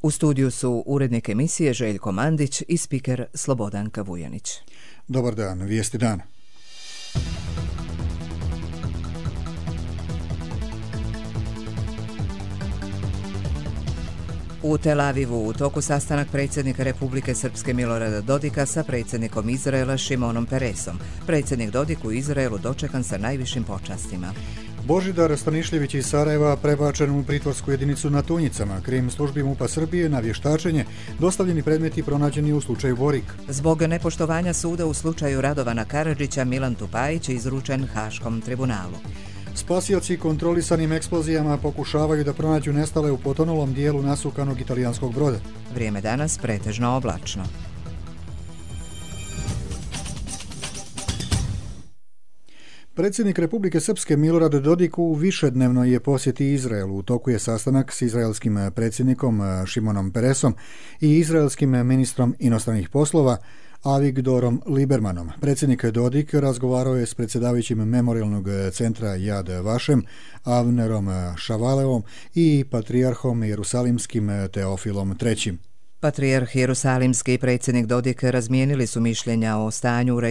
U studiju su urednik emisije Željko Mandić i spiker Slobodanka Vujanić. Dobar dan, vijesti dana. U Tel Avivu u toku sastanak predsjednika Republike Srpske Milorada Dodika sa predsjednikom Izraela Šimonom Peresom. Predsjednik Dodik u Izraelu dočekan sa najvišim počastima. Božidar Stanišljević iz Sarajeva prebačen u pritvorsku jedinicu na Tunjicama. Krim službi MUP-a Srbije na vještačenje, dostavljeni predmeti pronađeni u slučaju Borik. Zbog nepoštovanja suda u slučaju Radovana Karadžića, Milan Tupajić je izručen Haškom tribunalu. Spasioci kontrolisanim eksplozijama pokušavaju da pronađu nestale u potonulom dijelu nasukanog italijanskog broda. Vrijeme danas pretežno oblačno. Predsjednik Republike Srpske Milorad Dodik u višednevnoj je posjeti Izraelu. U toku je sastanak s izraelskim predsjednikom Šimonom Peresom i izraelskim ministrom inostranih poslova Avigdorom Libermanom. Predsjednik Dodik razgovarao je s predsjedavajućim memorialnog centra Yad Vashem, Avnerom Šavalevom i patrijarhom jerusalimskim Teofilom III. Patrijarh Jerusalimski i predsjednik Dodik razmijenili su mišljenja o stanju u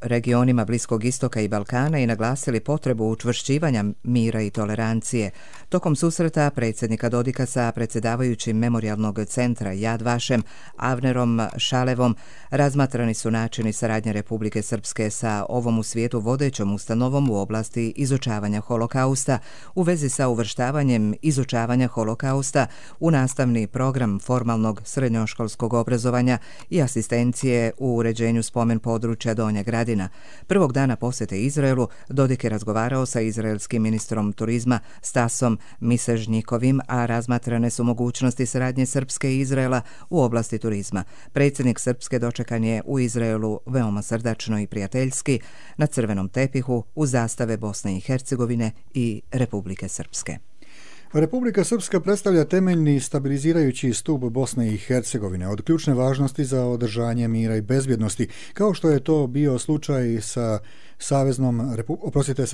regionima Bliskog istoka i Balkana i naglasili potrebu učvršćivanja mira i tolerancije. Tokom susreta predsjednika Dodika sa predsjedavajućim memorialnog centra Yad Vashem, Avnerom Šalevom, razmatrani su načini saradnje Republike Srpske sa ovom u svijetu vodećom ustanovom u oblasti izučavanja holokausta u vezi sa uvrštavanjem izučavanja holokausta u nastavni program formalnog srednjoškolskog obrazovanja i asistencije u uređenju spomen područja Donja Gradina. Prvog dana posjete Izraelu Dodik je razgovarao sa izraelskim ministrom turizma Stasom Misežnjikovim, a razmatrane su mogućnosti saradnje Srpske i Izraela u oblasti turizma. Predsjednik Srpske dočekan je u Izraelu veoma srdačno i prijateljski na crvenom tepihu uz zastave Bosne i Hercegovine i Republike Srpske. Republika Srpska predstavlja temeljni stabilizirajući stup Bosne i Hercegovine od ključne važnosti za održanje mira i bezbjednosti, kao što je to bio slučaj sa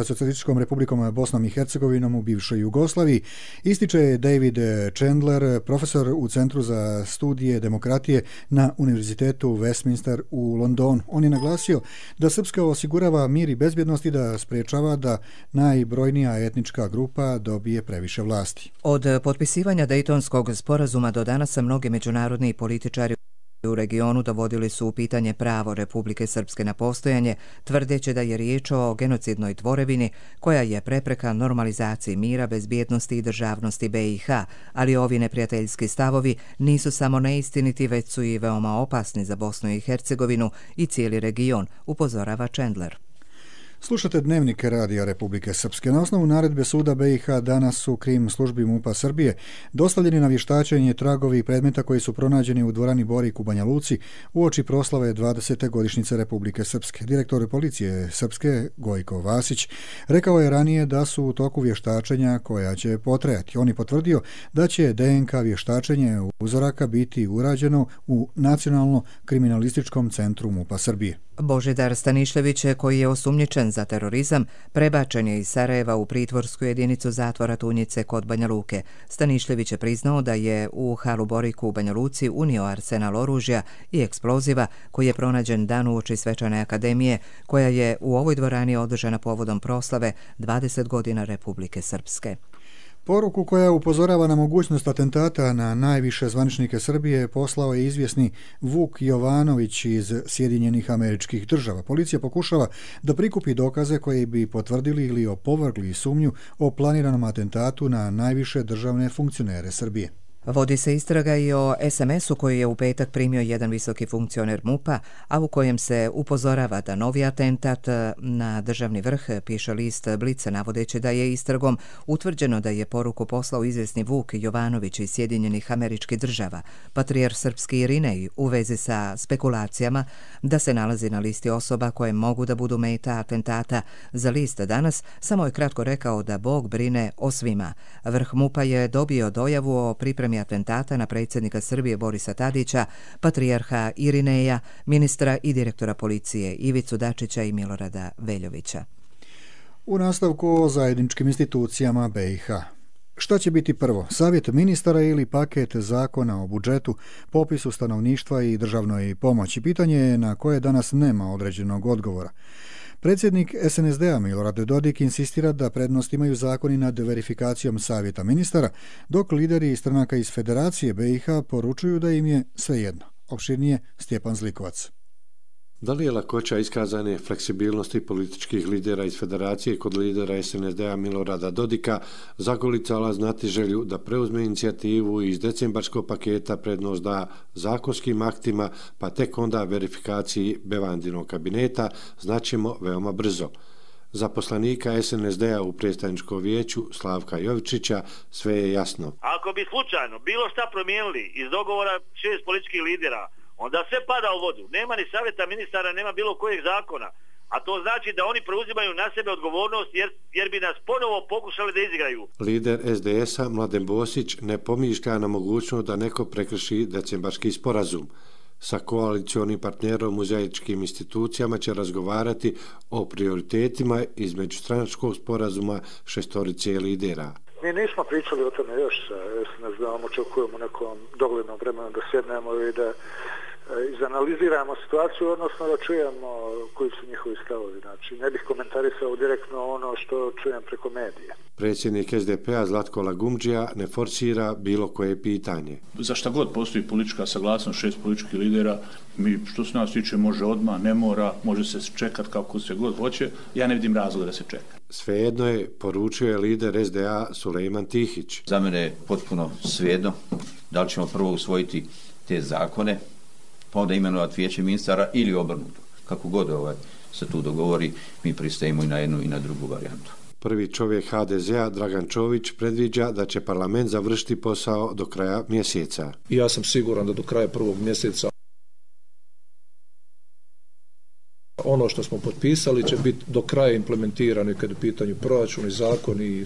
Socijalističkom republikom Bosnom i Hercegovinom u bivšoj Jugoslaviji, ističe David Chandler, profesor u Centru za studije demokratije na Univerzitetu Westminster u Londonu. On je naglasio da Srpska osigurava mir i bezbjednost i da sprečava da najbrojnija etnička grupa dobije previše vlasti. Od potpisivanja Dejtonskog sporazuma do danas mnogi međunarodni političari u regionu dovodili su u pitanje pravo Republike Srpske na postojanje, tvrdeći da je riječ o genocidnoj tvorevini koja je prepreka normalizaciji mira, bezbjednosti i državnosti BiH, ali ovi neprijateljski stavovi nisu samo neistiniti, već su i veoma opasni za Bosnu i Hercegovinu i cijeli region, upozorava Chandler. Slušate Dnevnik Radija Republike Srpske. Na osnovu naredbe suda BiH danas su Krim službi MUP-a Srbije dostavljeni na vještačenje tragovi predmeta koji su pronađeni u dvorani Borik u Banja Luci uoči proslave 20. godišnjice Republike Srpske. Direktor policije Srpske Gojko Vasić rekao je ranije da su u toku vještačenja koja će potrajati. On je potvrdio da će DNK vještačenje uzoraka biti urađeno u Nacionalno kriminalističkom centru MUP-a Srbije. Božidar Stanišljević, koji je osumnjičen za terorizam, prebačen je iz Sarajeva u pritvorsku jedinicu zatvora Tunjice kod Banja Luke. Stanišljević je priznao da je u halu Boriku u Banja Luci unio arsenal oružja i eksploziva koji je pronađen dan uoči Svečane akademije, koja je u ovoj dvorani održana povodom proslave 20 godina Republike Srpske. Poruku koja upozorava na mogućnost atentata na najviše zvaničnike Srbije poslao je izvjesni Vuk Jovanović iz Sjedinjenih Američkih Država. Policija pokušava da prikupi dokaze koji bi potvrdili ili opovrgli sumnju o planiranom atentatu na najviše državne funkcionere Srbije. Vodi se istraga i o SMS-u koji je u petak primio jedan visoki funkcioner MUP-a, a u kojem se upozorava da novi atentat na državni vrh, piše list Blica, navodeći da je istragom utvrđeno da je poruku poslao izvjesni Vuk Jovanović iz Sjedinjenih Američkih Država. Patrijarh Srpski Irinej u vezi sa spekulacijama da se nalazi na listi osoba koje mogu da budu meta atentata za list Danas, samo je kratko rekao da Bog brine o svima. Vrh MUP-a je dobio dojavu o pripremi atentata na predsjednika Srbije Borisa Tadića, patrijarha Irineja, ministra i direktora policije Ivicu Dačića i Milorada Veljovića. U nastavku o zajedničkim institucijama BiH. Šta će biti prvo, savjet ministara ili paket zakona o budžetu, popisu stanovništva i državnoj pomoći? Pitanje je na koje danas nema određenog odgovora. Predsjednik SNSD-a Milorad Dodik insistira da prednost imaju zakoni nad verifikacijom savjeta ministara, dok lideri stranaka iz Federacije BiH poručuju da im je svejedno. Opširnije Stjepan Zlikovac. Da li je lakoća iskazane fleksibilnosti političkih lidera iz Federacije kod lidera SNSD-a Milorada Dodika zagolicala znatiželju da preuzme inicijativu iz decembarskog paketa prednost da zakonskim aktima, pa tek onda verifikaciji Bevandinog kabineta, znaćemo veoma brzo. Za poslanika SNSD-a u predstavničkom vijeću Slavka Jovičića sve je jasno. Ako bi slučajno bilo šta promijenili iz dogovora 6 političkih lidera, onda sve pada u vodu. Nema ni savjeta ministara, nema bilo kojeg zakona. A to znači da oni preuzimaju na sebe odgovornost jer bi nas ponovo pokušali da izigraju. Lider SDS-a Mladen Bosić ne pomišlja na mogućnost da neko prekrši decembarski sporazum. Sa koalicionim partnerom u zajedničkim institucijama će razgovarati o prioritetima između stranačkog sporazuma šestorice lidera. Mi nismo pričali o tome još sa SNSD-om, očekujemo nekom doglednom vremenu da sjednemo i da izanaliziramo situaciju, odnosno da čujemo koji su njihovi stavovi. Znači, ne bih komentarisao direktno ono što čujem preko medija. Predsjednik SDP-a Zlatko Lagumdžija ne forsira bilo koje pitanje. Za šta god postoji politička saglasnost 6 političkih lidera, mi što se nas tiče može odmah, ne mora, može se čekati kako se god hoće, ja ne vidim razloga da se čeka. Svejedno je, poručio je lider SDA Sulejman Tihić. Za mene je potpuno svejedno da li ćemo prvo usvojiti te zakone, pa onda imenovati vijeće ministara ili obrnuto. Kako god se tu dogovori, mi pristajemo i na jednu i na drugu varijantu. Prvi čovjek HDZ-a Dragan Čović predviđa da će parlament završiti posao do kraja mjeseca. Ja sam siguran da do kraja prvog mjeseca ono što smo potpisali će biti do kraja implementirano kad je u pitanju proračun i zakon i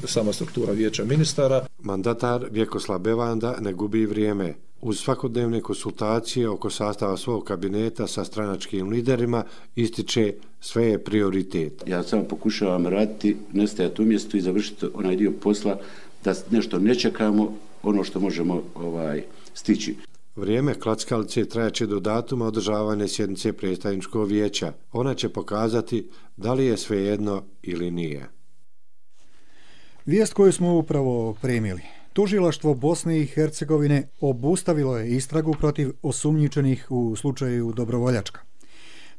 sama struktura vijeća ministara. Mandatar Vjekoslav Bevanda ne gubi vrijeme. Uz svakodnevne konsultacije oko sastava svog kabineta sa stranačkim liderima ističe sve je prioritet. Ja samo pokušavam raditi, nestajati u mjestu i završiti onaj dio posla da nešto ne čekamo, ono što možemo stići. Vrijeme klackalice trajaće do datuma održavanja sjednice predstavničkog vijeća. Ona će pokazati da li je svejedno ili nije. Vijest koju smo upravo primili. Tužilaštvo Bosne i Hercegovine obustavilo je istragu protiv osumnjičenih u slučaju Dobrovoljačka.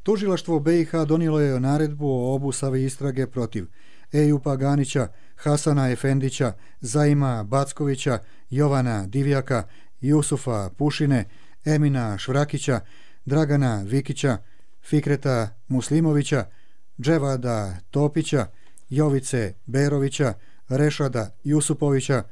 Tužilaštvo BiH donijelo je naredbu o obustavi istrage protiv Ejupa Ganića, Hasana Efendića, Zaima Backovića, Jovana Divjaka, Jusufa Pušine, Emina Švrakića, Dragana Vikića, Fikreta Muslimovića, Dževada Topića, Jovice Berovića, Rešada Jusupovića,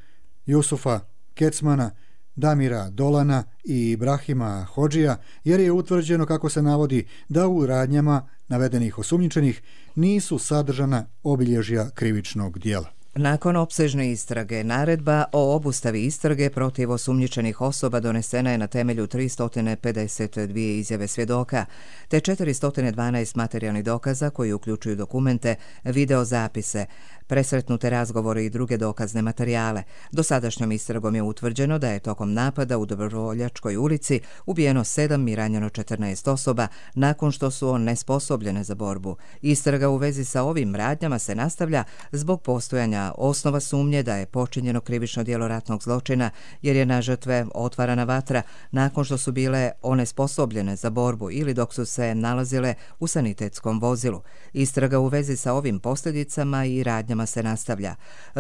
Jusufa Kecmana, Damira Dolana i Ibrahima Hodžija, jer je utvrđeno, kako se navodi, da u radnjama navedenih osumnjičenih nisu sadržana obilježja krivičnog djela. Nakon opsežne istrage, naredba o obustavi istrage protiv osumnjičenih osoba donesena je na temelju 352 izjave svjedoka, te 412 materijalnih dokaza koji uključuju dokumente, videozapise, presretnute razgovore i druge dokazne materijale. Dosadašnjom istragom je utvrđeno da je tokom napada u Dobrovoljačkoj ulici ubijeno 7 i ranjeno 14 osoba nakon što su onesposobljene za borbu. Istraga u vezi sa ovim radnjama se nastavlja zbog postojanja osnova sumnje da je počinjeno krivično djelo ratnog zločina, jer je na žrtve otvarana vatra nakon što su bile onesposobljene za borbu ili dok su se nalazile u sanitetskom vozilu. Istraga u vezi sa ovim posljedicama i radnjama se nastavlja.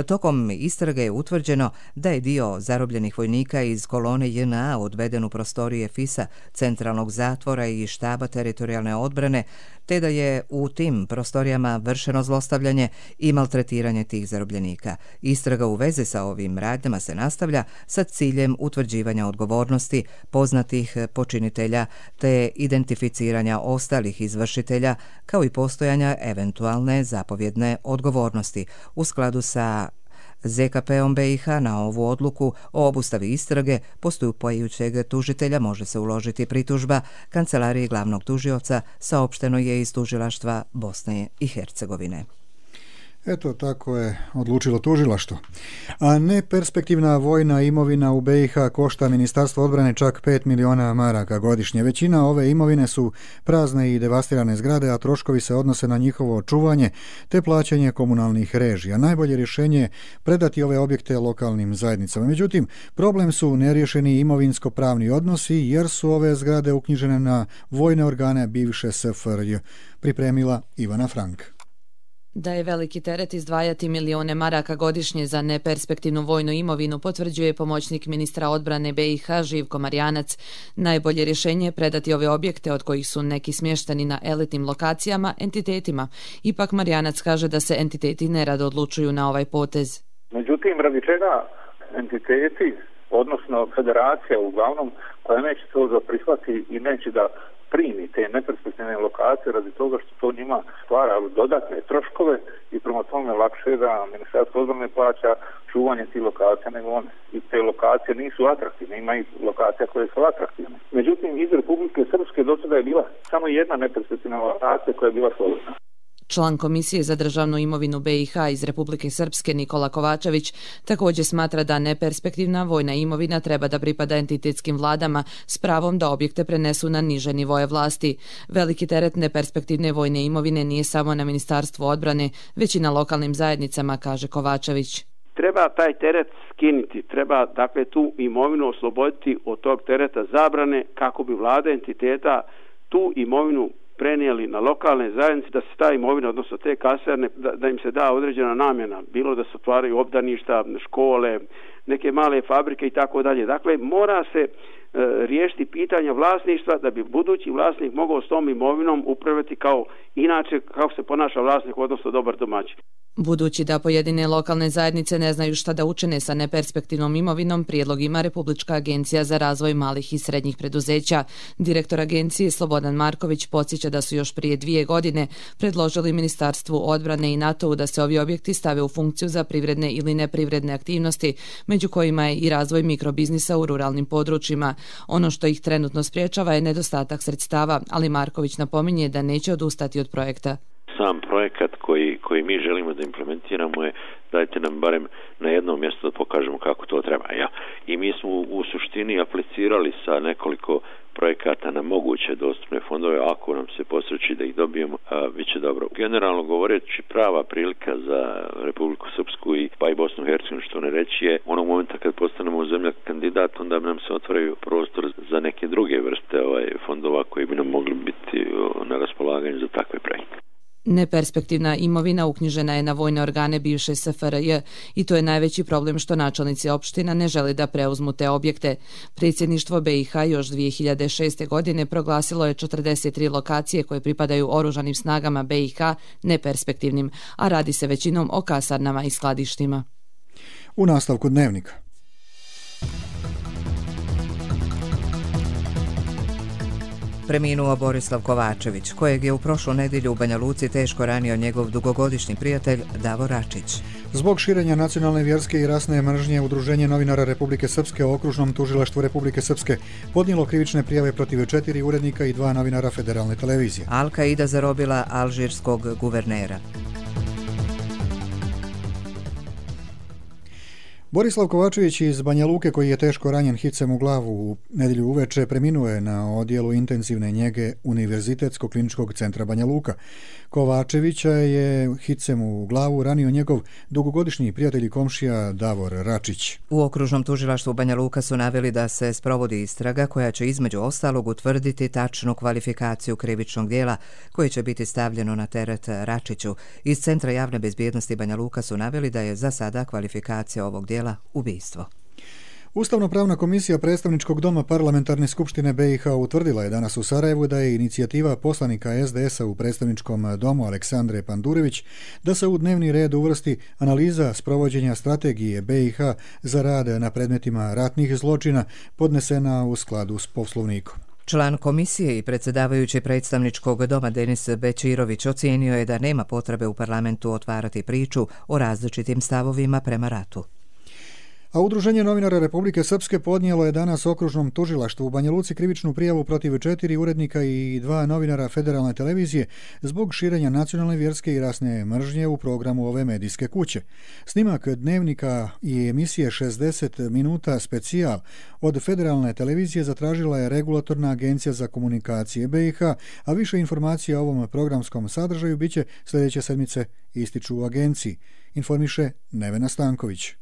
Tokom istrage je utvrđeno da je dio zarobljenih vojnika iz kolone JNA odveden u prostorije FIS-a, centralnog zatvora i štaba teritorijalne odbrane, te da je u tim prostorijama vršeno zlostavljanje i maltretiranje tih zarobljenika. Istraga u vezi sa ovim radnjama se nastavlja sa ciljem utvrđivanja odgovornosti poznatih počinitelja te identificiranja ostalih izvršitelja, kao i postojanja eventualne zapovjedne odgovornosti. U skladu sa ZKP-om BiH na ovu odluku o obustavi istrage postupajućeg tužitelja može se uložiti pritužba Kancelariji glavnog tužioca, saopšteno je iz Tužilaštva Bosne i Hercegovine. Eto, tako je odlučilo tužilaštvo. A neperspektivna vojna imovina u BiH košta Ministarstvo odbrane čak 5 miliona maraka godišnje. Većina ove imovine su prazne i devastirane zgrade, a troškovi se odnose na njihovo očuvanje te plaćanje komunalnih režija. Najbolje rješenje je predati ove objekte lokalnim zajednicama. Međutim, problem su neriješeni imovinsko-pravni odnosi jer su ove zgrade uknjižene na vojne organe bivše SFRJ. Pripremila Ivana Frank. Da je veliki teret izdvajati milijone maraka godišnje za neperspektivnu vojnu imovinu, potvrđuje pomoćnik ministra odbrane BiH Živko Marjanac. Najbolje rješenje je predati ove objekte, od kojih su neki smješteni na elitnim lokacijama, entitetima. Ipak Marjanac kaže da se entiteti nerado odlučuju na ovaj potez. Međutim, radi čega entiteti, odnosno federacija uglavnom, koja neće to prihvati i neće da primi te neperspektivne lokacije radi toga što to njima stvara dodatne troškove i prema tome lakše da Ministarstvo odbrane plaća čuvanje tih lokacija nego one. I te lokacije nisu atraktivne, ima i lokacija koje su atraktivne. Međutim, iz Republike Srpske do sada je bila samo jedna neperspektivna lokacija koja je bila slobodna. Član Komisije za državnu imovinu BiH iz Republike Srpske Nikola Kovačević također smatra da neperspektivna vojna imovina treba da pripada entitetskim vladama s pravom da objekte prenesu na niže nivoje vlasti. Veliki teret neperspektivne vojne imovine nije samo na Ministarstvu odbrane, već i na lokalnim zajednicama, kaže Kovačević. Treba taj teret skinuti, treba dakle tu imovinu osloboditi od tog tereta zabrane kako bi vlada entiteta tu imovinu prenijeli na lokalne zajednice, da se ta imovina, odnosno te kaserne, da im se da određena namjena, bilo da se otvaraju obdaništa, škole, neke male fabrike i tako dalje. Dakle, mora se riješiti pitanja vlasništva da bi budući vlasnik mogao s tom imovinom upravljati kao inače kako se ponaša vlasnik, odnosno dobar domaćin. Budući da pojedine lokalne zajednice ne znaju šta da učine sa neperspektivnom imovinom, prijedlog ima Republička agencija za razvoj malih i srednjih preduzeća. Direktor agencije Slobodan Marković podsjeća da su još prije 2 godine predložili Ministarstvu odbrane i NATO-u da se ovi objekti stave u funkciju za privredne ili neprivredne aktivnosti, među kojima je i razvoj mikrobiznisa u ruralnim područjima. Ono što ih trenutno spriječava je nedostatak sredstava, ali Marković napominje da neće odustati od projekta. Sam projekat koji mi želimo da implementiramo je dajte nam barem na jednom mjestu da pokažemo kako to treba. Ja. I mi smo u suštini aplicirali sa nekoliko projekata na moguće dostupne fondove, ako nam se posreći da ih dobijemo, bit će dobro. Generalno govoreći, prava prilika za Republiku Srpsku i pa i Bosnu i Hercegovinu, što ne reći, je onog momenta kad postanemo zemlja kandidat, onda nam se otvaraju prostor za neke druge vrste fondova koji bi nam mogli biti na raspolaganju za takve projekte. Neperspektivna imovina uknjižena je na vojne organe bivše SFRJ i to je najveći problem što načelnici opština ne žele da preuzmu te objekte. Predsjedništvo BiH još 2006. godine proglasilo je 43 lokacije koje pripadaju oružanim snagama BiH neperspektivnim, a radi se većinom o kasarnama i skladištima. U nastavku dnevnika. Preminuo Borislav Kovačević, kojeg je u prošlu nedjelju u Banja Luci teško ranio njegov dugogodišnji prijatelj Davor Račić. Zbog širenja nacionalne, vjerske i rasne mržnje, Udruženje novinara Republike Srpske u Okružnom tužilaštvu Republike Srpske podnijelo krivične prijave protiv 4 urednika i 2 novinara Federalne televizije. Al-Kaida zarobila alžirskog guvernera. Borislav Kovačević iz Banja Luke, koji je teško ranjen hicem u glavu u nedjelju uveče, preminuo je na odjelu intenzivne njege Univerzitetskog kliničkog centra Banja Luka. Kovačevića je hicem u glavu ranio njegov dugogodišnji prijatelj i komšija Davor Račić. U Okružnom tužilaštvu Banja Luka su naveli da se sprovodi istraga koja će između ostalog utvrditi tačnu kvalifikaciju krivičnog dijela koje će biti stavljeno na teret Račiću. Iz Centra javne bezbjednosti Banja Luka su naveli da je za sada kvalifikacija ovog dijela ubistvo. Ustavno-pravna komisija predstavničkog doma Parlamentarne skupštine BiH utvrdila je danas u Sarajevu da je inicijativa poslanika SDS-a u predstavničkom domu Aleksandre Pandurević da se u dnevni red uvrsti analiza sprovođenja strategije BiH za rad na predmetima ratnih zločina podnesena u skladu s Poslovnikom. Član komisije i predsjedavajući predstavničkog doma Denis Bečirović ocijenio je da nema potrebe u parlamentu otvarati priču o različitim stavovima prema ratu. A Udruženje novinara Republike Srpske podnijelo je danas okružnom tužilaštvu u Banja Luci krivičnu prijavu protiv 4 urednika i 2 novinara Federalne televizije zbog širenja nacionalne, vjerske i rasne mržnje u programu ove medijske kuće. Snimak dnevnika i emisije 60 minuta specijal od Federalne televizije zatražila je Regulatorna agencija za komunikacije BiH, a više informacija o ovom programskom sadržaju biće sljedeće sedmice, ističu u agenciji, informiše Nevena Stanković.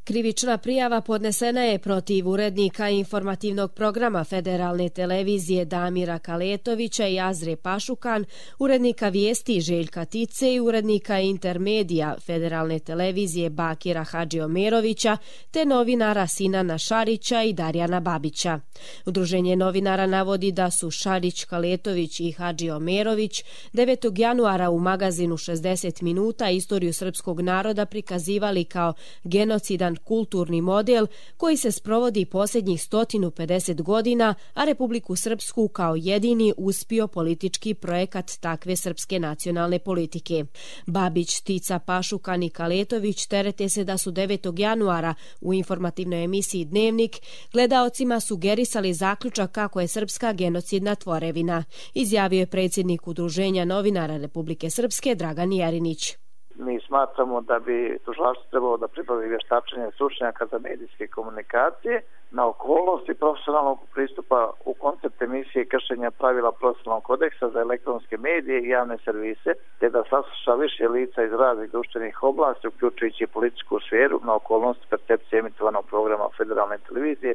Krivična prijava podnesena je protiv urednika informativnog programa Federalne televizije Damira Kaletovića i Azre Pašukan, urednika vijesti Željka Tice i urednika Intermedija Federalne televizije Bakira Hadžiomerovića te novinara Sinana Šarića i Darjana Babića. Udruženje novinara navodi da su Šarić, Kaletović i Hadžiomerović 9. januara u magazinu 60 minuta istoriju srpskog naroda prikazivali kao genocidan kulturni model koji se sprovodi posljednjih 150 godina, a Republiku Srpsku kao jedini uspio politički projekat takve srpske nacionalne politike. Babić, Tica, Pašukan i Kaletović terete se da su 9. januara u informativnoj emisiji Dnevnik gledaocima sugerisali zaključak kako je srpska genocidna tvorevina, izjavio je predsjednik Udruženja novinara Republike Srpske Dragan Jerinić. Mi smatramo da bi tužilaštvo trebalo da pribavi vještačenje stručnjaka za medijske komunikacije na okolnosti profesionalnog pristupa u koncept emisije kršenja pravila profesionalnog kodeksa za elektronske medije i javne servise, te da sasluša više lica iz raznih društvenih oblasti, uključujući političku sferu na okolnosti percepcije emitovanog programa Federalne televizije,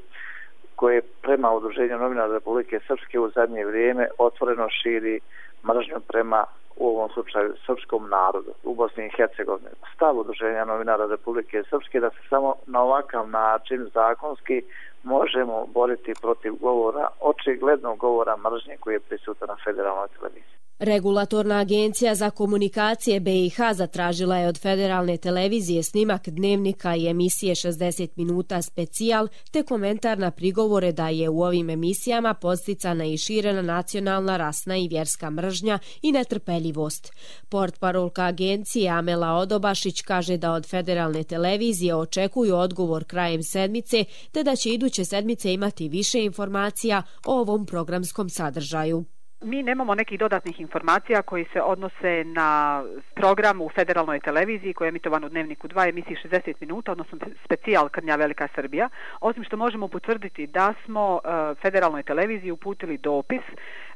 koje prema Udruženju novinara Republike Srpske u zadnje vrijeme otvoreno širi mržnju prema, u ovom slučaju, srpskom narodu u Bosni i Hercegovini. Stav Udruženja novinara Republike Srpske da se samo na ovakav način zakonski možemo boriti protiv govora, očiglednog govora mržnje koji je prisutan na Federalnoj televiziji. Regulatorna agencija za komunikacije BiH zatražila je od Federalne televizije snimak dnevnika i emisije 60 minuta specijal te komentar na prigovore da je u ovim emisijama podsticana i širena nacionalna, rasna i vjerska mržnja i netrpeljivost. Portparolka agencije Amela Odobašić kaže da od Federalne televizije očekuju odgovor krajem sedmice te da će iduće sedmice imati više informacija o ovom programskom sadržaju. Mi nemamo nekih dodatnih informacija koji se odnose na program u Federalnoj televiziji koji je emitovan u Dnevniku 2 emisiji 60 minuta, odnosno specijal Krnja Velika Srbija, osim što možemo potvrditi da smo Federalnoj televiziji uputili dopis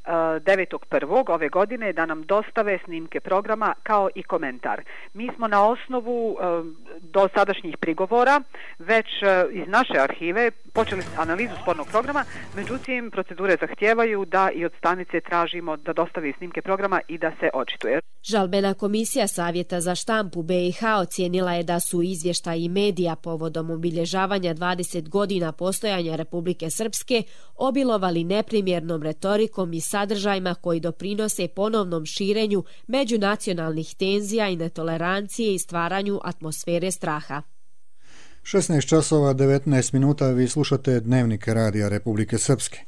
9.1. ove godine da nam dostave snimke programa kao i komentar. Mi smo na osnovu dosadašnjih prigovora već iz naše arhive počeli analizu spornog programa, međutim procedure zahtijevaju da i od stanice tražimo da dostavi snimke programa i da se očituje. Žalbena komisija Savjeta za štampu BiH ocijenila je da su izvještaji medija povodom obilježavanja 20 godina postojanja Republike Srpske obilovali neprimjernom retorikom i sadržajima koji doprinose ponovnom širenju međunacionalnih tenzija i netolerancije i stvaranju atmosfere straha. 16 časova 19 minuta vi slušate Dnevnik Radija Republike Srpske.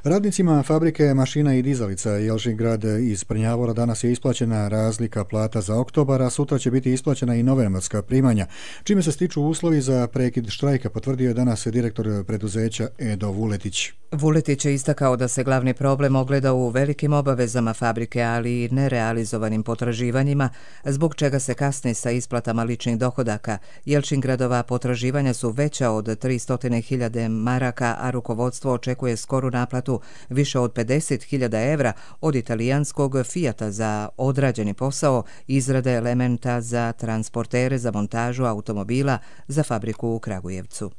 Radnicima fabrike mašina i dizalica Jelžingrad iz Prnjavora danas je isplaćena razlika plata za oktobar, a sutra će biti isplaćena i novembarska primanja, čime se stiču uslovi za prekid štrajka, potvrdio je danas direktor preduzeća Edo Vuletić. Vuletić je istakao da se glavni problem ogleda u velikim obavezama fabrike, ali i nerealizovanim potraživanjima, zbog čega se kasni sa isplatama ličnih dohodaka. Jelčingradova potraživanja su veća od 300.000 maraka, a rukovodstvo očekuje skoru naplatu više od 50.000 evra od italijanskog Fiata za odrađeni posao izrade elementa za transportere za montažu automobila za fabriku u Kragujevcu.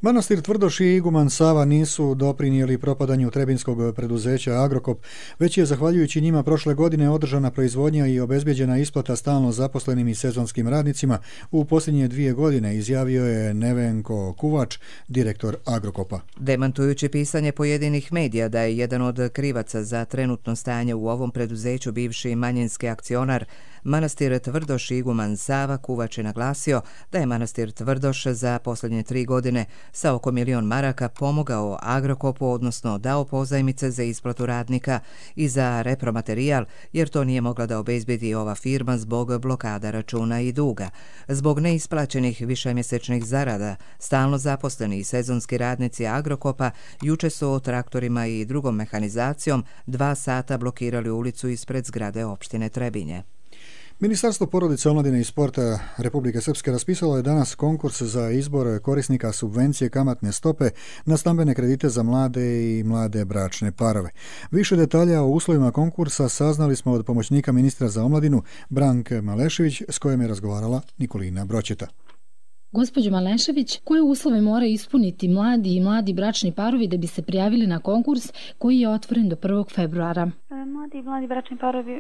Manastir Tvrdoš i iguman Sava nisu doprinijeli propadanju trebinskog preduzeća Agrokop, već je zahvaljujući njima prošle godine održana proizvodnja i obezbjeđena isplata stalno zaposlenim i sezonskim radnicima u posljednje 2 godine, izjavio je Nevenko Kuvač, direktor Agrokopa. Demantujući pisanje pojedinih medija da je jedan od krivaca za trenutno stanje u ovom preduzeću bivši manjinski akcionar manastir Tvrdoš iguman Sava Kuvač je naglasio da je manastir Tvrdoš za posljednje 3 godine sa oko 1 milion maraka pomogao Agrokopu, odnosno dao pozajmice za isplatu radnika i za repromaterijal, jer to nije mogla da obezbedi ova firma zbog blokada računa i duga. Zbog neisplaćenih višemjesečnih zarada, stalno zaposleni i sezonski radnici Agrokopa juče su traktorima i drugom mehanizacijom 2 sata blokirali ulicu ispred zgrade opštine Trebinje. Ministarstvo porodice, omladine i sporta Republike Srpske raspisalo je danas konkurs za izbor korisnika subvencije kamatne stope na stambene kredite za mlade i mlade bračne parove. Više detalja o uslovima konkursa saznali smo od pomoćnika ministra za omladinu Branke Malešević, s kojom je razgovarala Nikolina Broćeta. Gospođo Malešević, koje uslove mora ispuniti mladi i mladi bračni parovi da bi se prijavili na konkurs koji je otvoren do 1. februara? Mladi i mladi bračni parovi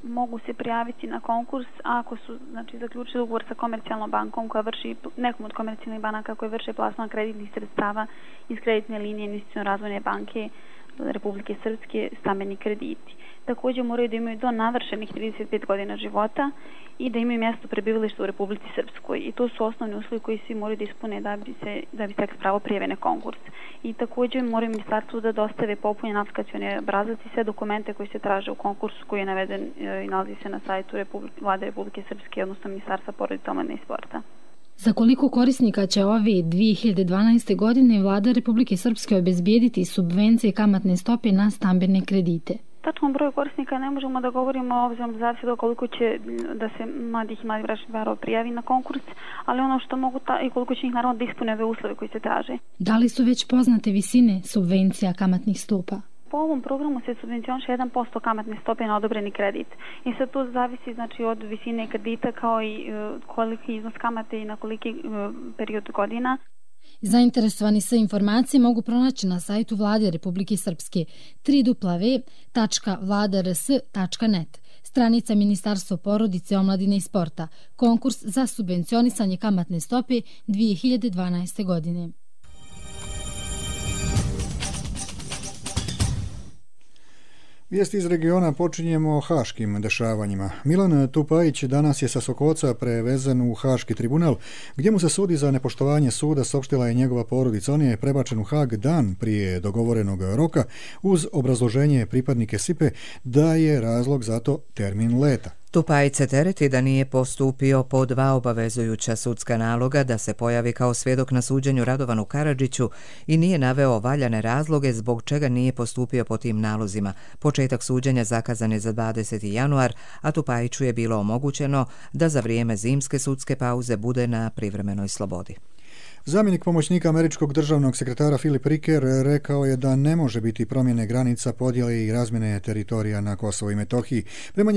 mogu se prijaviti na konkurs ako su zaključili ugovor sa komercijalnom bankom koja vrši, nekom od komercijalnih banaka koje vrše plasman kreditnih sredstava iz kreditne linije Investicione razvojne banke Republike Srpske stambeni krediti. Također moraju da imaju do navršenih 35 godina života i da imaju mjesto prebivališta u Republici Srpskoj. I to su osnovni uslovi koji svi moraju da ispune da bi stekli pravo prijave na konkurs. I također moraju ministarstvu da dostave popunjen aplikacioni obrazac i sve dokumente koji se traže u konkursu koji je naveden i nalazi se na sajtu Vlade Republike Srpske, odnosno Ministarstva porodice, omladine i sporta. Za koliko korisnika će ove 2012. godine Vlada Republike Srpske obezbijediti subvencije kamatne stope na stambene kredite? Tačnom broju korisnika ne možemo da govorimo, obzirom da zavisi do koliko će da se mladih i mladih bračnih parova prijavi na konkurs, ali ono što mogu i koliko će ih naravno da ispune ove uslove koji se traže. Da li su već poznate visine subvencija kamatnih stopa? Po ovom programu se subvencioniše 1% kamatne stope na odobreni kredit. I sad to zavisi od visine kredita kao i koliki iznos kamate i na koliki period godina. Zainteresovani sa informacije mogu pronaći na sajtu Vlade Republike Srpske www.vladars.net, stranica Ministarstva porodice, omladine i sporta, konkurs za subvencionisanje kamatne stope 2012. godine. Vijesti iz regiona počinjemo haškim dešavanjima. Milan Tupajić danas je sa Sokoca prevezen u Haški tribunal, gdje mu se sudi za nepoštovanje suda, saopštila je njegova porodica. On je prebačen u Hag dan prije dogovorenog roka uz obrazloženje pripadnike SIPE da je razlog za to termin leta. Tupajić se tereti da nije postupio po 2 obavezujuća sudska naloga da se pojavi kao svjedok na suđenju Radovanu Karadžiću i nije naveo valjane razloge zbog čega nije postupio po tim nalozima. Početak suđenja zakazan je za 20. januar, a Tupajiću je bilo omogućeno da za vrijeme zimske sudske pauze bude na privremenoj slobodi. Zamjenik pomoćnika američkog državnog sekretara Filip Riker rekao je da ne može biti promjene granica, podjele i razmjene teritorija na Kosovo i Metohiji. Prema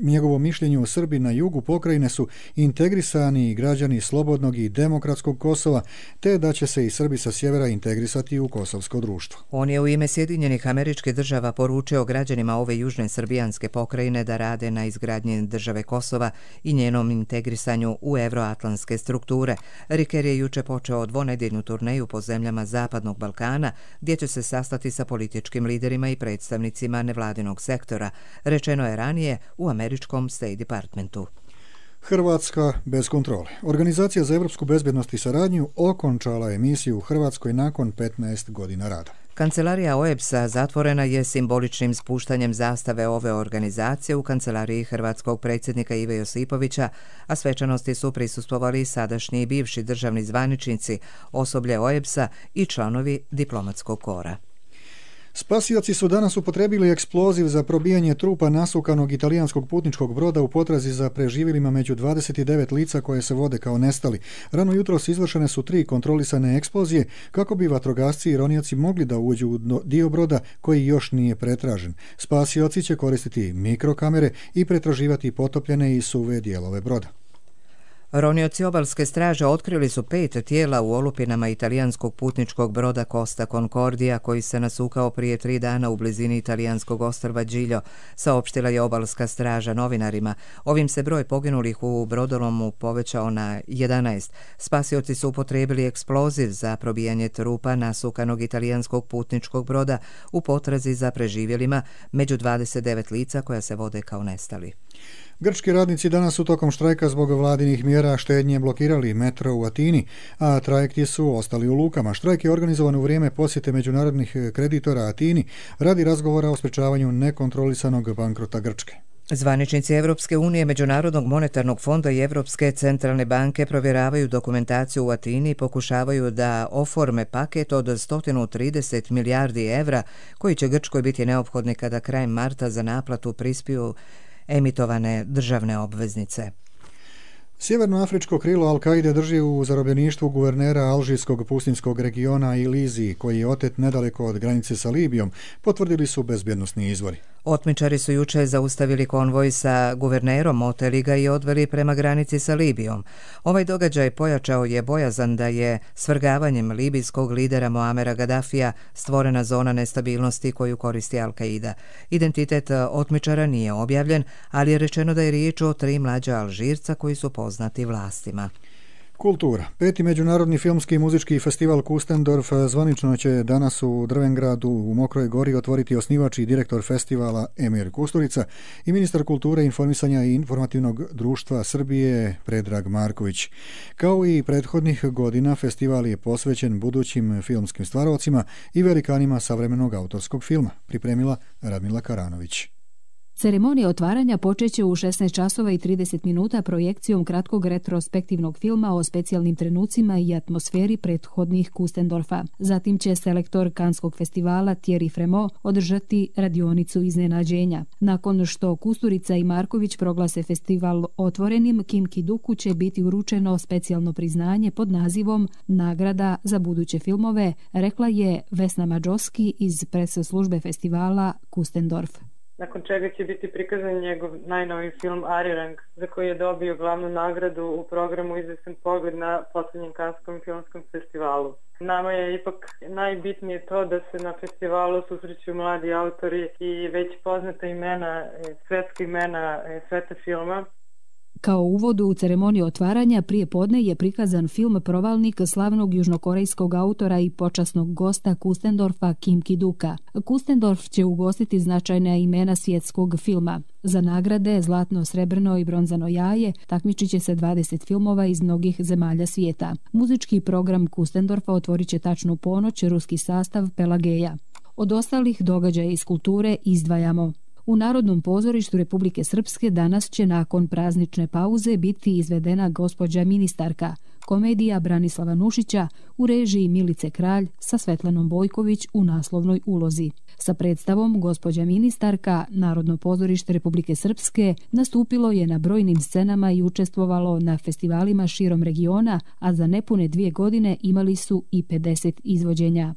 njegovom mišljenju, Srbi na jugu pokrajine su integrisani građani slobodnog i demokratskog Kosova, te da će se i Srbi sa sjevera integrisati u kosovsko društvo. On je u ime Sjedinjenih Američkih Država poručio građanima ove južne srbijanske pokrajine da rade na izgradnji države Kosova i njenom integrisanju u evroatlantske strukture. Riker je juče počeo dvonedjeljnu turneju po zemljama Zapadnog Balkana, gdje će se sastati sa političkim liderima i predstavnicima nevladinog sektora, rečeno je ranije u američkom State Departmentu. Hrvatska bez kontrole. Organizacija za evropsku bezbjednost i saradnju okončala je misiju u Hrvatskoj nakon 15 godina rada. Kancelarija OEBS-a zatvorena je simboličnim spuštanjem zastave ove organizacije u kancelariji hrvatskog predsjednika Ive Josipovića, a svečanosti su prisustvovali sadašnji i bivši državni zvaničnici, osoblje OEBS-a i članovi diplomatskog kora. Spasioci su danas upotrebili eksploziv za probijanje trupa nasukanog italijanskog putničkog broda u potrazi za preživjelima među 29 lica koje se vode kao nestali. Rano jutros izvršene su 3 kontrolisane eksplozije kako bi vatrogasci i ronioci mogli da uđu u dio broda koji još nije pretražen. Spasioci će koristiti mikrokamere i pretraživati potopljene i suve dijelove broda. Ronioci obalske straže otkrili su 5 tijela u olupinama italijanskog putničkog broda Costa Concordia koji se nasukao prije 3 dana u blizini italijanskog ostrva Giglio, saopštila je obalska straža novinarima. Ovim se broj poginulih u brodolomu povećao na 11. Spasioci su upotrijebili eksploziv za probijanje trupa nasukanog italijanskog putničkog broda u potrazi za preživjelima među 29 lica koja se vode kao nestali. Grčki radnici danas su tokom štrajka zbog vladinih mjera štednje blokirali metro u Atini, a trajekti su ostali u lukama. Štrajk je organizovan u vrijeme posjete međunarodnih kreditora Atini radi razgovora o sprečavanju nekontrolisanog bankrota Grčke. Zvaničnici Evropske unije, Međunarodnog monetarnog fonda i Evropske centralne banke provjeravaju dokumentaciju u Atini i pokušavaju da oforme paket od 130 milijardi evra koji će Grčkoj biti neophodni kada krajem marta za naplatu prispiju emitovane državne obveznice. Sjevernoafričko krilo Al-Kaide drži u zarobljeništvu guvernera alžirskog pustinskog regiona Ilizi, koji je otet nedaleko od granice sa Libijom, potvrdili su bezbjednosni izvori. Otmičari su juče zaustavili konvoj sa guvernerom, oteli ga i odveli prema granici sa Libijom. Ovaj događaj pojačao je bojazan da je svrgavanjem libijskog lidera Muamera Gaddafija stvorena zona nestabilnosti koju koristi Al-Kaida. Identitet otmičara nije objavljen, ali je rečeno da je riječ o 3 mlađa Alžirca koji su poznati vlastima. Kultura. 5. međunarodni filmski i muzički festival Kustendorf zvanično će danas u Drvengradu u Mokroj Gori otvoriti osnivač i direktor festivala Emir Kusturica i ministar kulture, informisanja i informativnog društva Srbije Predrag Marković. Kao i prethodnih godina, festival je posvećen budućim filmskim stvarovcima i velikanima savremenog autorskog filma, pripremila Radmila Karanović. Ceremonija otvaranja počeće u 16 časova i 30 minuta projekcijom kratkog retrospektivnog filma o specijalnim trenucima i atmosferi prethodnih Kustendorfa. Zatim će selektor Kanskog festivala Thierry Fremont održati radionicu iznenađenja. Nakon što Kusturica i Marković proglase festival otvorenim, Kim Ki-duku će biti uručeno specijalno priznanje pod nazivom Nagrada za buduće filmove, rekla je Vesna Mađoski iz pres službe festivala Kustendorf. Nakon čega će biti prikazan njegov najnoviji film Arirang, za koji je dobio glavnu nagradu u programu Izvestan pogled na posljednjem Kanskom filmskom festivalu. Nama je ipak najbitnije to da se na festivalu susreću mladi autori i već poznata imena, svetska imena sveta filma. Kao uvod u ceremoniju otvaranja prije podne je prikazan film Provalnik slavnog južnokorejskog autora i počasnog gosta Kustendorfa Kim Ki-duka. Kustendorf će ugostiti značajna imena svjetskog filma. Za nagrade Zlatno, srebrno i bronzano jaje takmičit će se 20 filmova iz mnogih zemalja svijeta. Muzički program Kustendorfa otvorit će tačnu ponoć ruski sastav Pelageja. Od ostalih događaja iz kulture izdvajamo: u Narodnom pozorištu Republike Srpske danas će nakon praznične pauze biti izvedena Gospođa ministarka, komedija Branislava Nušića u režiji Milice Kralj sa Svetlanom Bojković u naslovnoj ulozi. Sa predstavom Gospođa ministarka Narodno pozorište Republike Srpske nastupilo je na brojnim scenama i učestvovalo na festivalima širom regiona, a za nepune 2 godine imali su i 50 izvođenja.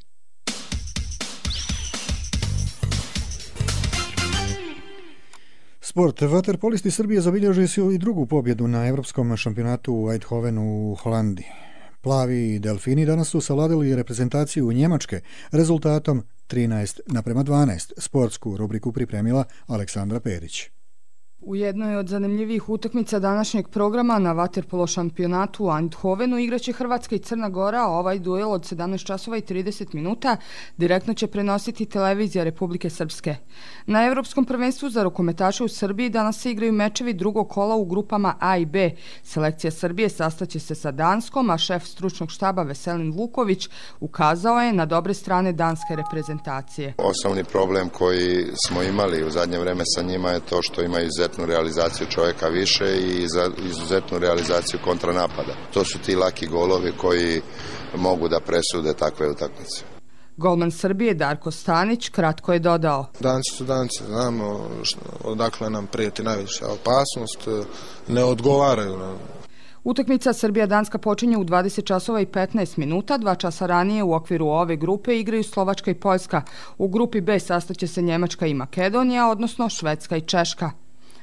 Sport. Vaterpolisti Srbije zabilježili su i drugu pobjedu na Evropskom šampionatu u Eindhovenu u Holandiji. Plavi i delfini danas su savladali reprezentaciju Njemačke rezultatom 13:12. Sportsku rubriku pripremila Aleksandra Perić. U jednoj od zanimljivih utakmica današnjeg programa na vaterpolo šampionatu u Eindhovenu igraće Hrvatska i Crna Gora, a ovaj duel od 17 časova i 30 minuta direktno će prenositi televizija Republike Srpske. Na Evropskom prvenstvu za rukometaše u Srbiji danas se igraju mečevi drugog kola u grupama A i B. Selekcija Srbije sastaće se sa Danskom, a šef stručnog štaba Veselin Vuković ukazao je na dobre strane danske reprezentacije. Osnovni problem koji smo imali u zadnje vreme sa njima je to što imaju izuzetnu realizaciju čovjeka više i za izuzetnu realizaciju kontranapada. To su ti laki golovi koji mogu da presude takve utakmice. Golman Srbije Darko Stanić kratko je dodao: Danci su danci, znamo odakle nam prijeti najviša opasnost, ne odgovaraju nam. Utakmica Srbija-Danska počinje u 20 časova i 15 minuta. 2 časa ranije u okviru ove grupe igraju Slovačka i Poljska. U grupi B sastaće se Njemačka i Makedonija, odnosno Švedska i Češka.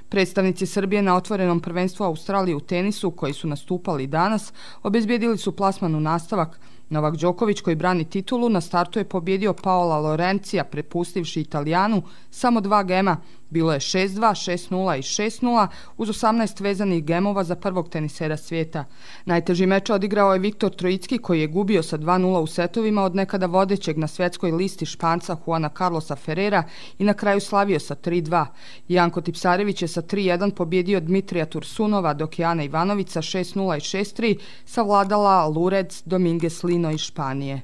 Predstavnici Srbije na otvorenom prvenstvu Australije u tenisu, koji su nastupali danas, obezbijedili su plasman u nastavak. Novak Đoković, koji brani titulu, na startu je pobjedio Paola Lorencija, prepustivši Italijanu samo 2 gema. Bilo je 6-2, 6-0 i 6-0 uz 18 vezanih gemova za prvog tenisera svijeta. Najteži meč odigrao je Viktor Trojicki koji je gubio sa 2-0 u setovima od nekada vodećeg na svjetskoj listi Španca Juana Carlosa Ferrera i na kraju slavio sa 3-2. Janko Tipsarević je sa 3-1 pobjedio Dmitrija Tursunova, dok je Ana Ivanović sa 6-0 i 6-3 savladala Lourdes Dominguez Lino iz Španije.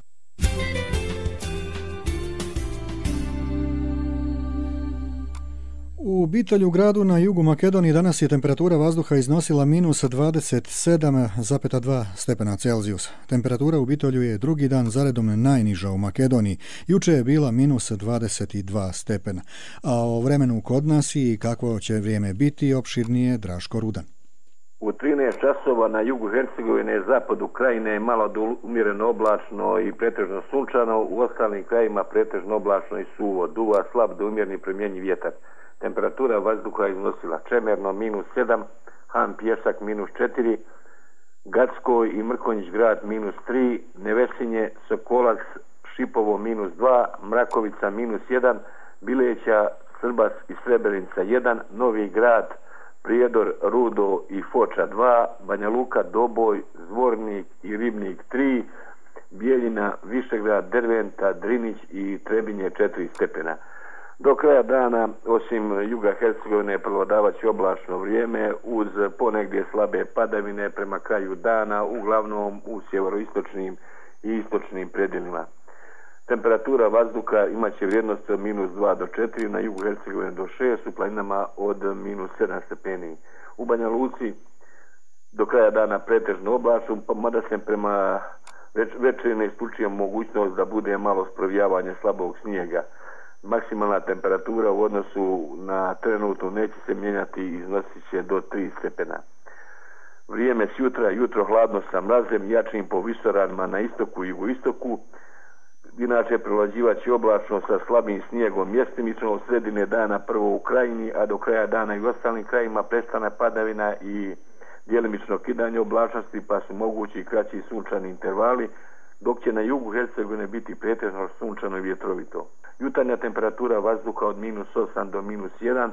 U Bitolju, gradu na jugu Makedonije, danas je temperatura vazduha iznosila minus 27,2 stepena Celzijusa. Temperatura u Bitolju je drugi dan zaredom najniža u Makedoniji. Juče je bila minus 22 stepena. A o vremenu kod nas i kakvo će vrijeme biti opširnije Draško Rudan. U 13 časova na jugu Hercegovine, zapadu krajine je malo do umjereno oblačno i pretežno sunčano, u ostalim krajima pretežno oblačno i suvo, duva slab do umjerni promjenjiv vjetar. Temperatura vazduha iznosila Čemerno minus 7, Han Pjesak minus 4, Gacko i Mrkonjić grad minus 3, Nevesinje, Sokolac, Šipovo minus 2, Mrakovica minus 1, Bileća, Srbas i Srebrenica 1, Novi grad, Prijedor, Rudo i Foča 2, Banja Luka, Doboj, Zvornik i Ribnik 3, Bijeljina, Višegrad, Derventa, Drinić i Trebinje 4 stepena. Do kraja dana, osim juga Hercegovine, prevladavat će oblačno vrijeme uz ponegdje slabe padavine prema kraju dana, uglavnom u sjeveroistočnim i istočnim predjelima. Temperatura vazduha imat će vrijednost od minus 2 do 4, na jugu Hercegovine do 6, u planinama od minus 7 stepeni. U Banja Luci do kraja dana pretežno oblačno, mada se prema večeri isključuje mogućnost da bude malo sprovijavanje slabog snijega. Maksimalna temperatura u odnosu na trenutnu neće se mijenjati i iznosit će do 3 stepena. Vrijeme s jutra, jutro hladno sa mrazem, jačim po visoravnima na istoku i jugoistoku. Inače prevlađivat će oblačno sa slabim snijegom mjestimično od sredine dana prvo u krajini, a do kraja dana i u ostalim krajima prestane padavina i djelimično kidanje oblačnosti, pa su mogući kraći sunčani intervali, dok će na jugu Hercegovine biti pretežno sunčano i vjetrovito. Jutarnja temperatura vazduha od minus 8 do minus 1,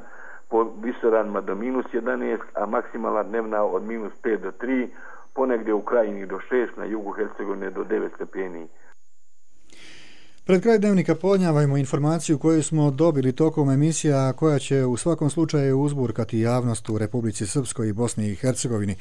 po visoravnima do minus 11, a maksimalna dnevna od minus 5 do 3, ponegdje u krajini do 6, na jugu Hercegovine do 9 stepeni. Pred kraj dnevnika podnjavajmo informaciju koju smo dobili tokom emisija, koja će u svakom slučaju uzburkati javnost u Republici Srpskoj i Bosni i Hercegovini.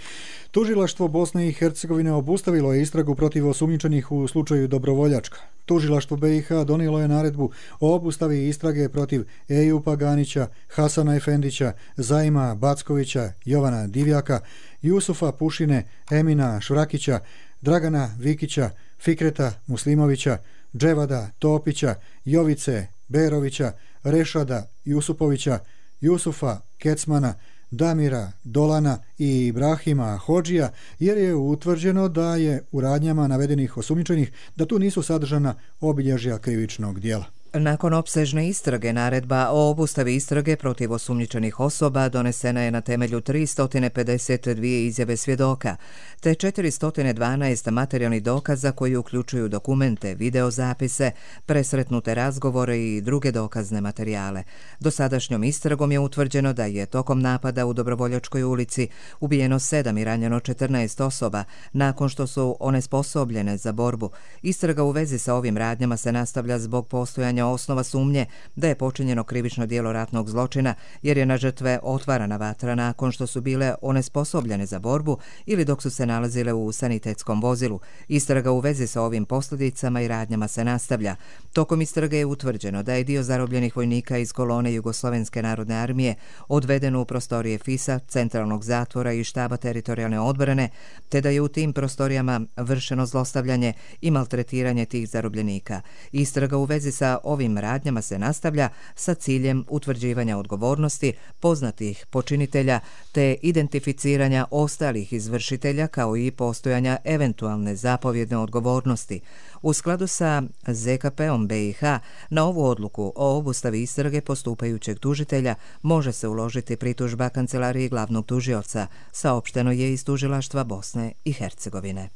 Tužilaštvo Bosne i Hercegovine obustavilo je istragu protiv osumnjičenih u slučaju Dobrovoljačka. Tužilaštvo BiH donijelo je naredbu o obustavi istrage protiv Ejupa Ganića, Hasana Efendića, Zaima Backovića, Jovana Divjaka, Jusufa Pušine, Emina Švrakića, Dragana Vikića, Fikreta Muslimovića, Dževada Topića, Jovice Berovića, Rešada Jusupovića, Jusufa Kecmana, Damira Dolana i Ibrahima Hodžija, jer je utvrđeno da je u radnjama navedenih osumnjičenih da tu nisu sadržana obilježja krivičnog djela. Nakon opsežne istrage, naredba o obustavi istrage protiv osumnjičenih osoba donesena je na temelju 352 izjave svjedoka, te 412 materijalnih dokaza koji uključuju dokumente, videozapise, presretnute razgovore i druge dokazne materijale. Dosadašnjom istragom je utvrđeno da je tokom napada u Dobrovoljačkoj ulici ubijeno 7 i ranjeno 14 osoba nakon što su onesposobljene za borbu. Istraga u vezi sa ovim radnjama se nastavlja zbog postojanja osnova sumnje da je počinjeno krivično djelo ratnog zločina, jer je na žrtve otvarana vatra nakon što su bile onesposobljene za borbu ili dok su se nalazile u sanitetskom vozilu. Istraga u vezi sa ovim posljedicama i radnjama se nastavlja. Tokom istrage je utvrđeno da je dio zarobljenih vojnika iz kolone Jugoslovenske narodne armije odveden u prostorije FIS-a, centralnog zatvora i štaba teritorijalne odbrane, te da je u tim prostorijama vršeno zlostavljanje i maltretiranje tih zarobljenika. Istraga u vezi sa ovim radnjama se nastavlja sa ciljem utvrđivanja odgovornosti poznatih počinitelja te identificiranja ostalih izvršitelja kao i postojanja eventualne zapovjedne odgovornosti. U skladu sa ZKP-om BiH na ovu odluku o obustavi istrage postupajućeg tužitelja može se uložiti pritužba Kancelariji glavnog tužioca, saopšteno je iz Tužilaštva Bosne i Hercegovine.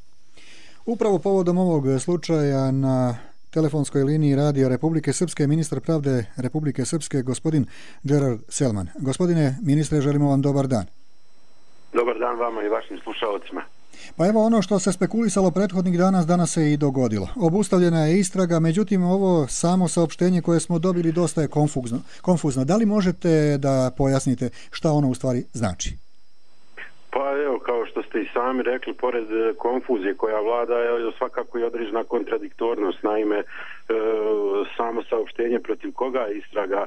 Upravo povodom ovog slučaja na telefonskoj liniji Radija Republike Srpske ministar pravde Republike Srpske, gospodin Gerard Selman. Gospodine ministre, želimo vam dobar dan. Dobar dan vama i vašim slušalcima. Pa evo ono što se spekulisalo prethodnih danas se i dogodilo. Obustavljena je istraga, međutim ovo samo saopštenje koje smo dobili dosta je konfuzno. Da li možete da pojasnite šta ono u stvari znači? Pa evo, kao što ste i sami rekli, pored konfuzije koja vlada je svakako i određena kontradiktornost. Naime, samo saopštenje protiv koga je istraga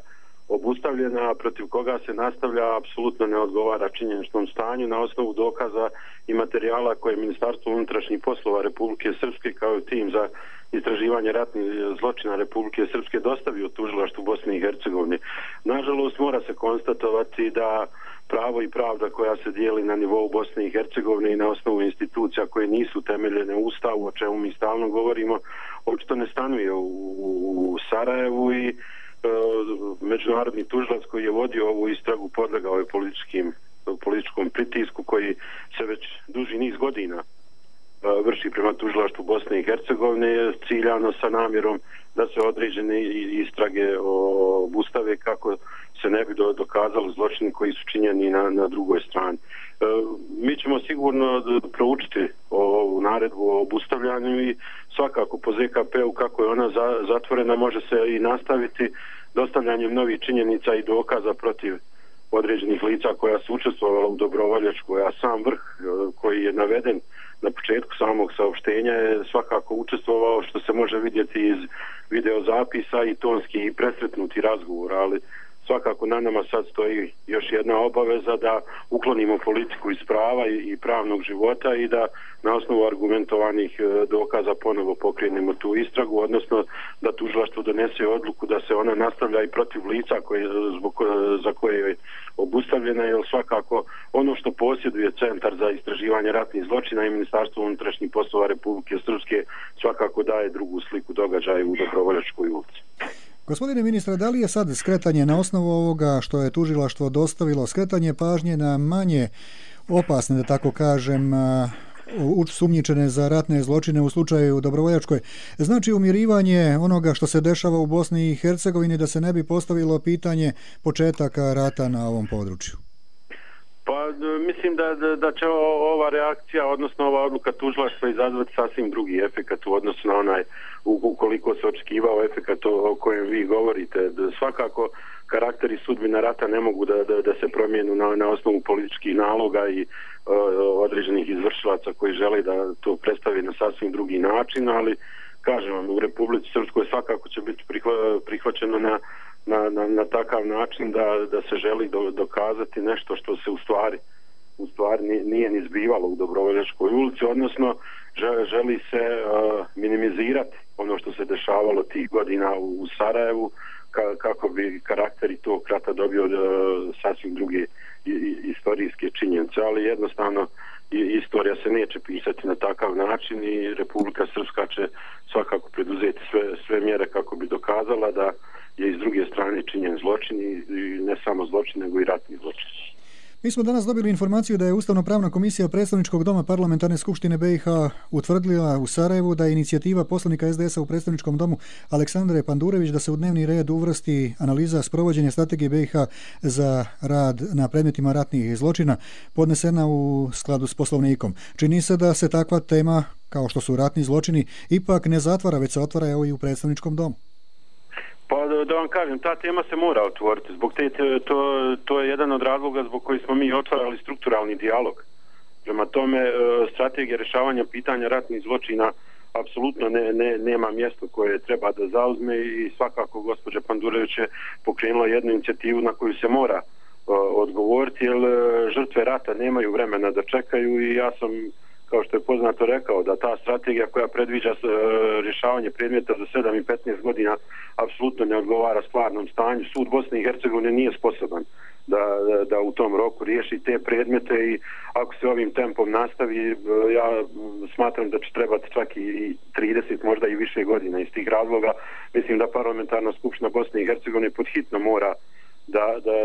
obustavljena, a protiv koga se nastavlja, apsolutno ne odgovara činjeničnom stanju na osnovu dokaza i materijala koje je Ministarstvo unutrašnjih poslova Republike Srpske kao tim za istraživanje ratnih zločina Republike Srpske dostavio tužilaštvu Bosne i Hercegovine. Nažalost, mora se konstatovati da pravo i pravda koja se dijeli na nivou Bosne i Hercegovine i na osnovu institucija koje nisu temeljene u Ustavu, o čemu mi stalno govorimo, očito ne stanuje u Sarajevu i međunarodni tužilac koji je vodio ovu istragu podlegao je političkom pritisku koji se već duži niz godina vrši prema tužilaštvu Bosne i Hercegovine ciljano sa namjerom da se određene istrage obustave kako se ne bi dokazali zločini koji su činjeni na drugoj strani. Mi ćemo sigurno proučiti ovu naredbu o obustavljanju i svakako po ZKP-u kako je ona zatvorena može se i nastaviti dostavljanjem novih činjenica i dokaza protiv određenih lica koja su učestvovala u dobrovoljačkoj, a sam vrh koji je naveden na početku samog saopštenja je svakako učestvovao, što se može vidjeti iz videozapisa i tonski i presretnuti razgovor, ali svakako na nama sad stoji još jedna obaveza da uklonimo politiku iz prava i pravnog života i da na osnovu argumentovanih dokaza ponovo pokrenemo tu istragu, odnosno da tužilaštvo donese odluku da se ona nastavlja i protiv lica za koje je obustavljena, jer svakako ono što posjeduje Centar za istraživanje ratnih zločina i Ministarstvo unutrašnjih poslova Republike Srpske svakako daje drugu sliku događaja u Dobrovoljačkoj ulici. Gospodine ministre, da li je sad skretanje na osnovu ovoga što je tužilaštvo dostavilo, skretanje pažnje na manje opasne, da tako kažem, sumnjičene za ratne zločine u slučaju Dobrovoljačkoj, znači umirivanje onoga što se dešava u Bosni i Hercegovini, da se ne bi postavilo pitanje početaka rata na ovom području? Pa mislim da će ova reakcija, odnosno ova odluka tužilaštva izazvati sasvim drugi efekat u odnosu na onaj ukoliko se očekivao efekat o kojem vi govorite. Svakako karakter i sudbina rata ne mogu da se promijenu na osnovu političkih naloga i određenih izvršilaca koji žele da to predstavi na sasvim drugi način, ali kažem vam, u Republici Srpskoj svakako će biti prihvaćeno na takav način da se želi dokazati nešto što se u stvari nije ni zbivalo u Dobrovoljačkoj ulici, odnosno želi se minimizirati ono što se dešavalo tih godina u Sarajevu kako bi karakteri tog rata dobio sasvim druge istorijske činjenice, ali jednostavno istorija se neće pisati na takav način i Republika Srpska će svakako preduzeti sve mjere kako bi dokazala da je iz druge strane činjen zločin i ne samo zločin, nego i ratni zločin. Mi smo danas dobili informaciju da je Ustavno-pravna komisija Predstavničkog doma Parlamentarne skupštine BiH utvrdila u Sarajevu da je inicijativa poslanika SDS-a u Predstavničkom domu Aleksandre Pandurević da se u dnevni red uvrsti analiza sprovođenja strategije BiH za rad na predmetima ratnih zločina podnesena u skladu s Poslovnikom. Čini se da se takva tema, kao što su ratni zločini, ipak ne zatvara, već se otvara evo i u Predstavničkom domu. Pa da vam kažem, ta tema se mora otvoriti. To je jedan od razloga zbog koji smo mi otvarali strukturalni dijalog. Prema tome, strategija rješavanja pitanja ratnih zločina apsolutno nema mjesto koje treba da zauzme i svakako gospođa Pandurević je pokrenula jednu inicijativu na koju se mora odgovoriti, jer žrtve rata nemaju vremena da čekaju i ja sam, kao što je poznato, rekao da ta strategija koja predviđa rješavanje predmeta za 7 i 15 godina apsolutno ne odgovara stvarnom stanju. Sud Bosne i Hercegovine nije sposoban da u tom roku riješi te predmete i ako se ovim tempom nastavi, ja smatram da će trebati čak i 30, možda i više godina. Iz tih razloga mislim da Parlamentarna skupština Bosne i Hercegovine podhitno mora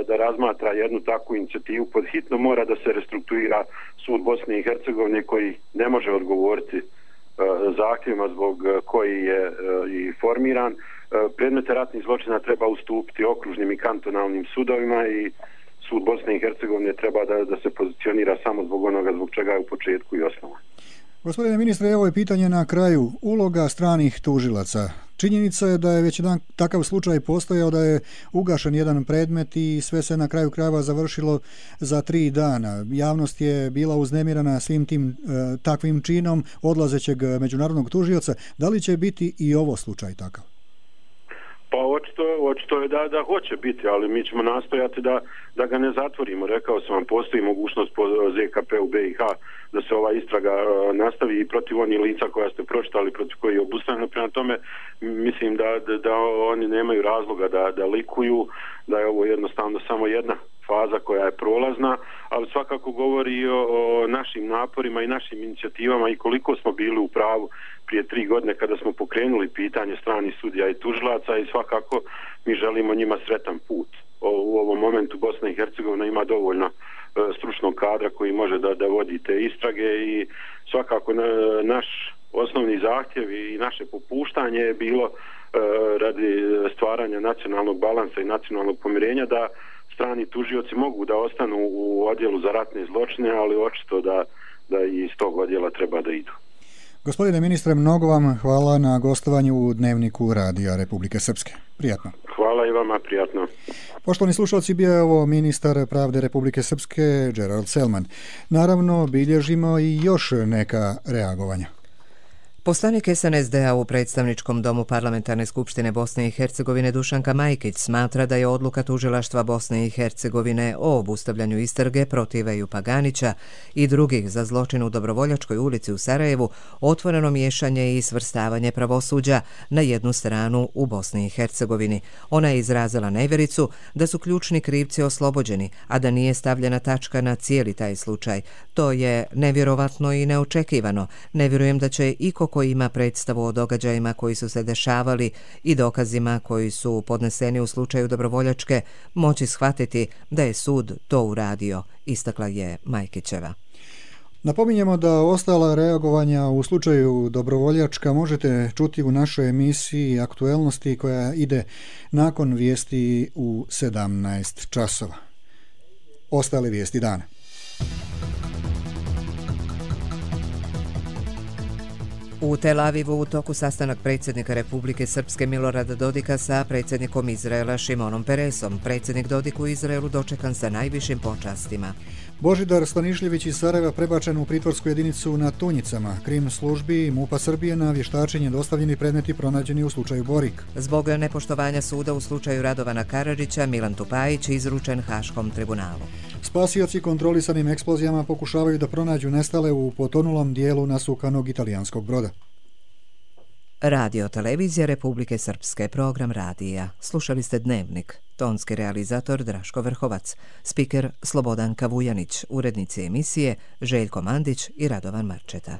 da razmatra jednu takvu inicijativu, podhitno mora da se restrukturira sud Bosne i Hercegovine koji ne može odgovoriti zahtjevima zbog koji je i formiran. Predmete ratnih zločina treba ustupiti okružnim i kantonalnim sudovima i sud Bosne i Hercegovine treba da se pozicionira samo zbog onoga zbog čega je u početku i osnovan. Gospodine ministre, evo je pitanje na kraju. Uloga stranih tužilaca. Činjenica je da je već jedan takav slučaj postojao, da je ugašen jedan predmet i sve se na kraju krajeva završilo za 3 dana. Javnost je bila uznemirana svim tim takvim činom odlazećeg međunarodnog tužioca. Da li će biti i ovo slučaj takav? Pa očito je da hoće biti, ali mi ćemo nastojati da ga ne zatvorimo. Rekao sam vam, postoji mogućnost po ZKP u BiH da se ova istraga nastavi i protiv onih lica koja ste pročitali, protiv koji je obustavljeno. Prema tome, mislim da oni nemaju razloga da likuju, da je ovo jednostavno samo jedna faza koja je prolazna, ali svakako govori o našim naporima i našim inicijativama i koliko smo bili u pravu prije 3 godine kada smo pokrenuli pitanje stranih sudija i tužilaca i svakako mi želimo njima sretan put. U ovom momentu Bosna i Hercegovina ima dovoljno stručnog kadra koji može da vodi te istrage i svakako naš osnovni zahtjev i naše popuštanje je bilo radi stvaranja nacionalnog balansa i nacionalnog pomirenja da strani tužioci mogu da ostanu u odjelu za ratne zločine, ali očito da i iz tog odjela treba da idu. Gospodine ministre, mnogo vam hvala na gostovanju u Dnevniku Radija Republike Srpske. Prijatno. Hvala i vama, prijatno. Poštovani slušalci, bio je ovo ministar pravde Republike Srpske Gerald Selman. Naravno, bilježimo i još neka reagovanja. Poslanik SNSD-a u predstavničkom domu Parlamentarne skupštine Bosne i Hercegovine Dušanka Majkić smatra da je odluka tužilaštva Bosne i Hercegovine o obustavljanju istrage protiv Ejupa Ganića i drugih za zločin u Dobrovoljačkoj ulici u Sarajevu otvoreno miješanje i svrstavanje pravosuđa na jednu stranu u Bosni i Hercegovini. Ona je izrazila nevjericu da su ključni krivci oslobođeni, a da nije stavljena tačka na cijeli taj slučaj. To je nevjerovatno i neočekivano. Ne vjerujem da će iko koji ima predstavu o događajima koji su se dešavali i dokazima koji su podneseni u slučaju Dobrovoljačke moći shvatiti da je sud to uradio, istakla je Majkićeva. Napominjemo da ostala reagovanja u slučaju Dobrovoljačka možete čuti u našoj emisiji Aktuelnosti koja ide nakon vijesti u 17 časova. Ostale vijesti dana. U Tel Avivu u toku sastanak predsjednika Republike Srpske Milorada Dodika sa predsjednikom Izraela Šimonom Peresom. Predsjednik Dodik u Izraelu dočekan sa najvišim počastima. Božidar Stanišljević iz Sarajeva prebačen u pritvorsku jedinicu na Tunjicama. Krim službi MUP-a Srbije na vještačenje dostavljeni predmeti pronađeni u slučaju Borik. Zbog nepoštovanja suda u slučaju Radovana Karadžića, Milan Tupajić izručen Haškom tribunalu. Spasioci kontrolisanim eksplozijama pokušavaju da pronađu nestale u potonulom dijelu nasukanog italijanskog broda. Radio Televizija Republike Srpske, program radija. Slušali ste Dnevnik. Tonski realizator Draško Vrhovac, spiker Slobodan Kavujanić, urednici emisije Željko Mandić i Radovan Marčeta.